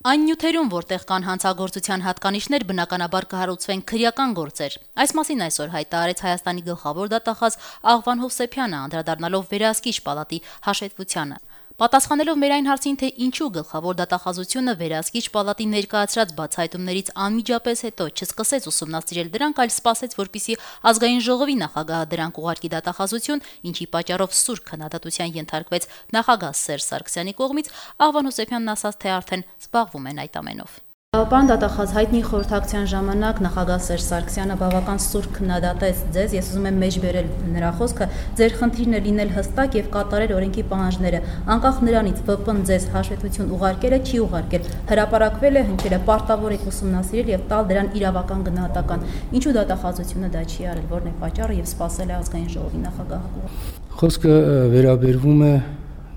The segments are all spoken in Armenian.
Այն նյութերում, որտեղ կան հանցագործության հատկանիշներ, բնականաբար կհարուցվեն քրեական գործեր։ Այս մասին այսօր հայտարարեց Հայաստանի գլխավոր դատախազ Աղվան Հովսեփյանը, անդրադառնալով վերահսկիչ պալատի հաշվետվությանը։ Պատասխանելով մեր այն հարցին, թե ինչու գլխավոր դատախազությունը վերահսկիչ պալատի ներկայացրած բացահայտումներից անմիջապես հետո չսկսեց ուսումնասիրել դրանք, այլ սպասեց, որպեսզի ազգային ժողովի նախագահը դրանք ուղարկի դատախազություն, ինչի պատճառով սուր քննադատության ենթարկվեց նախագահ Սերժ Սարգսյանի կողմից, Աղվան Հովսեփյանն ասաց, թե արդեն զբաղվում են այդ ամենով։ Պարոն դատախազ, հայտնի խորհրդակցության ժամանակ նախագահ Սերժ Սարգսյանը բավական սուր քննադատեց ձեզ, ես ուզում եմ մեջբերել նրա խոսքը, ձեր խնդիրն է լինել հստակ եւ կատարել օրենքի պահանջները, անկախ նրանից ՎՊ-ն ձեզ հաշվետվություն ուղարկել է, չի ուղարկել, հրապարակվել է, հնչել է, պարտավոր եք ուսումնասիրել եւ տալ դրան իրավական գնահատական։ Ինչու դատախազությունը դա չի արել, որն է պատճառը եւ սпасել է ազգային ժողովի նախագահը։ Խոսքը վերաբերվում է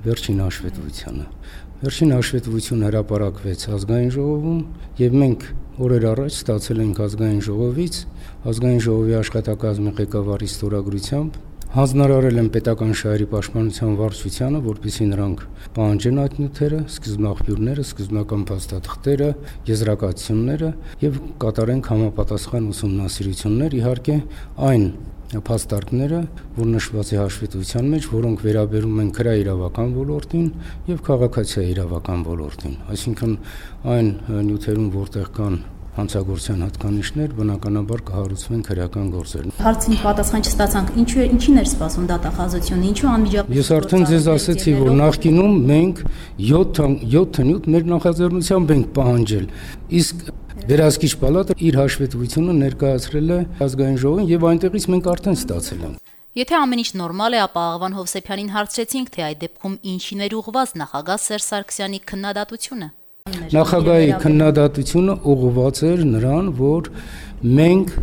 վերջին հաշվետվությանը։ Վերջին հաշվետվություն հրապարակվեց ազգային ժողովում եւ մենք օրեր առաջ ստացել ենք ազգային ժողովի աշխատակազմի ղեկավարի ստորագրությամբ հանձնարարել են պետական շահերի պաշտպանության վարչությանը, որպեսզի նրանք պահանջեն այդ նյութերը, սկզբնաղբյուրները, սկզբնական փաստաթղթերը, եզրակացությունները եւ կատարենք համապատասխան ուսումնասիրություններ, իհարկե այն փաստարկները, որ նշված է հաշվետվության մեջ, որոնք վերաբերում են քրաիրավական ոլորտին եւ քաղաքացիաիրավական ոլորտին, այսինքն այն նյութերում, որտեղ կան հանցագործության հատկանիշներ, բնականաբար կհարուցվեն քրեական գործեր։ Հարցին պատասխան չստացանք, ինչին էր սպասում դատախազությունը, ինչու անմիջապես։ Ես արդեն ձեզ ասացի, որ նախկինում մենք 7 նյութ մեր նախաձեռնությամբ ենք պահանջել, իսկ Վերահսկիչ պալատը իր հաշվետվությունը ներկայացրել է ազգային ժողովին եւ այնտեղից մենք արդեն ստացել ենք։ Եթե ամեն ինչ նորմալ է, ապա Աղվան Հովսեփյանին հարցրեցինք, թե այդ դեպքում ինչին էր ուղղված նախագահ Սերժ Սարգսյանի քննադատությունը։ Նախագահի քննադատությունը ուղղված էր նրան, որ մենք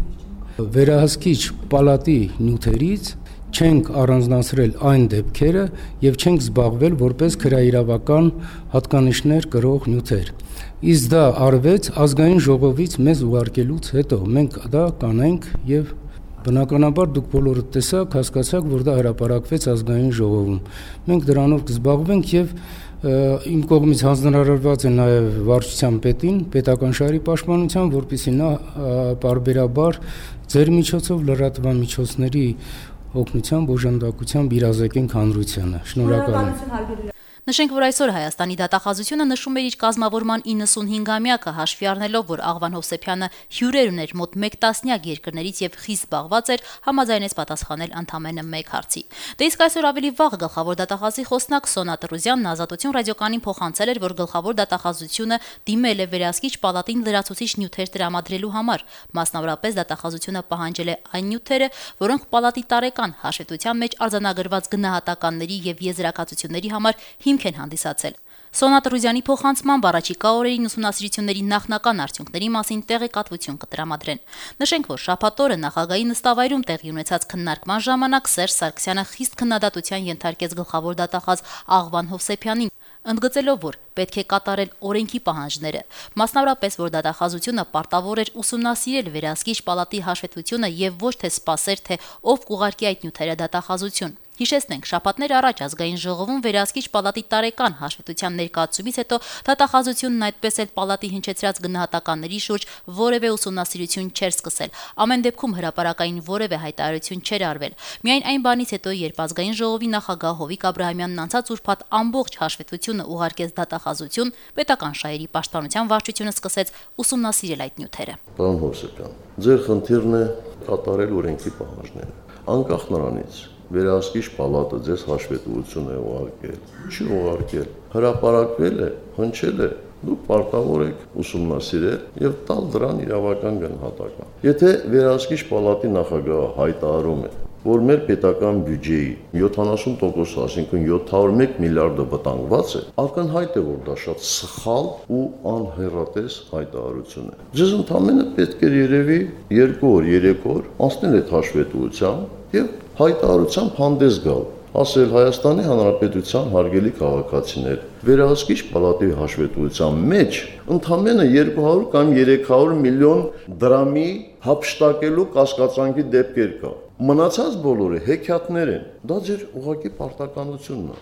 վերահսկիչ պալատի նյութերից չենք առանձնացրել այն դեպքերը եւ չենք զբաղվել որպես քրաիրավական հատկանիշներ կրող նյութեր։ Իսկ դա արվեց ազգային ժողովից մեզ ուղարկելուց հետո մենք դա կանենք եւ բնականաբար դուք բոլորը տեսաք, հասկացաք, որ դա հրապարակվեց ազգային ժողովում։ Մենք դրանով կզբաղվենք եւ իմ կողմից հանձնարարված է նաեւ վարչության պետին, պետական շահերի պաշտպանության, որպեսզի նա պարբերաբար ձեր միջոցով լրատվամիջոցների օգնությամբ, օժանդակությամբ իրազեկենք հանրությանը։ Շնորհակալ եմ։ Նշենք, որ այսօր Հայաստանի դատախազությունը նշում էր իր կազմավորման 95-ամյակը, հաշվի առնելով, որ Աղվան Հովսեփյանը հյուրեր ուներ մոտ 1 տասնյակ երկրներից եւ խիստ զբաղված էր, համաձայնեց պատասխանել ընդամենը 1 հարցի։ Դե իսկ այսօր ավելի վաղ գլխավոր դատախազի խոսնակ Սոնա Տրուզյանն Ազատություն ռադիոկայանին փոխանցել էր, որ գլխավոր դատախազությունը դիմել է վերահսկիչ պալատին լրացուցիչ նյութեր տրամադրելու համար, մասնավորապես դատախազությունը պահանջել է այն նյութերը, որոնք պալատի տարեկան հաշվետվության մեջ արձանագրված գնահատականների եւ եզրակացությունների համար հիմք են հանդիսացել։ Սոնա Տրուզյանի փոխանցմամբ առաջիկա օրերին ուսումնասիրությունների նախնական արդյունքների մասին տեղեկատվություն կտրամադրեն։ Նշենք, որ շաբաթ օրը նախագահի նստավայրում տեղի ունեցած քննարկման ժամանակ Սերժ Սարգսյանը խիստ քննադատության ենթարկեց գլխավոր դատախազ Աղվան Հովսեփյանին, ընդգծելով, որ պետք է կատարել օրենքի պահանջները, մասնավորապես, որ դատախազությունը պարտավոր էր ուսումնասիրել վերահսկիչ պալատի հաշվետվությունը եւ ոչ թե սպասեր, թե ով կուղարկի այդ նյութերը դատախազություն։ Հիշեցնենք, շաբաթներ առաջ ազգային ժողովում վերահսկիչ պալատի տարեկան հաշվետվության ներկայացումից հետո դատախազությունն այդպես էլ պալատի հնչեցրած գնահատականների շուրջ որևէ ուսումնասիրություն չէր սկսել։ Ամեն դեպքում հրապարակային որևէ հայտարարություն չէր արվել։ Միայն այն բանից հետո, երբ ազգային ժողովի նախագահ Հովիկ Աբրահամյանն անցած ուրբաթ ամբողջ հաշվետվությունը ուղարկեց դատախազություն, պետական շահերի պաշտպանության վարչությունը սկսեց ուսումնասիրել այդ նյութերը։ Պարոն Հովսեփյան, ձեր խնդիրն է կատարել օրենքի պահանջները։ Անկախ նրանից Վերահսկիչ պալատը ձեզ հաշվետվություն է ուղարկել, չի ուղարկել, հրապարակվել է, հնչել է, դուք պարտավոր եք ուսումնասիրել եւ տալ դրան իրավական գնահատական։ Եթե Վերահսկիչ պալատի նախագահը հայտարարում է, որ մեր պետական բյուջեի 70%, այսինքն 701 միլիարդը վտանգված է, ակնհայտ է, որ դա շատ սխալ ու անհեռատես հայտարարություն է։ Ձեզ ընդամենը պետք է երևի 2 օր, 3 օր անցնել այդ հաշվետվությամբ եւ հայտարարությամբ հանդես գալ, ասել Հայաստանի Հանրապետության հարգելի քաղաքացիներ, Վերահսկիչ պալատի հաշվետվության մեջ ընդամենը 200 կամ 300 միլիոն դրամի հափշտակելու կասկածանքի դեպքեր կա։ Մնացած բոլորը հեքիաթներ են։ Դա ձեր ուղղակի պարտականությունն է։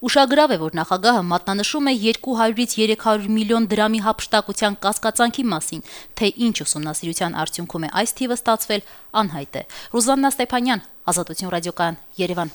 Ուշագրավ է, որ նախագահը մատնանշում է 200-ից 300 միլիոն դրամի հափշտակության կասկածանքի մասին, թե ինչ ուսումնասիրության արդյունքում է այս թիվը ստացվել, անհայտ է։ Ռուզաննա Ստեփանյան, Ազատություն ռադիոկայան, Երևան։